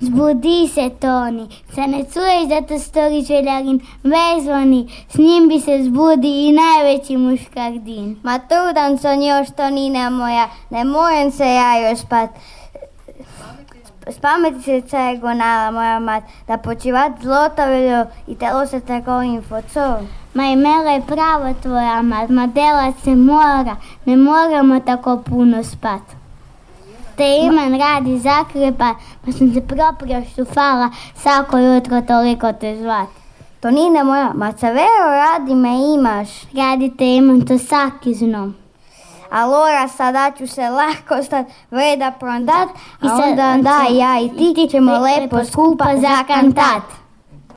Zbudi se, Toni, se ne čuješ da to stori željarin, vezvoni, s njim bi se zbudi i najveći muškardin. Ma trudan sam još, Tonina moja, ne mojem se ja još spat. Spameti se gonala moja mat, da počivat zlotaveljo i telo se tako info, Ma i Mela je pravo tvoja mat, ma delat se mora, ne moramo tako puno spat. Te Iman radi zakrepa, pa sam se proprio štufala svako jutro toliko te zvat. Tonina moja, ma savero radi me imaš. Radi te Iman, to saki znom. Allora sada ću se lako stat vreda prondat, a onda ja i ti ćemo lepo skupa zakantat.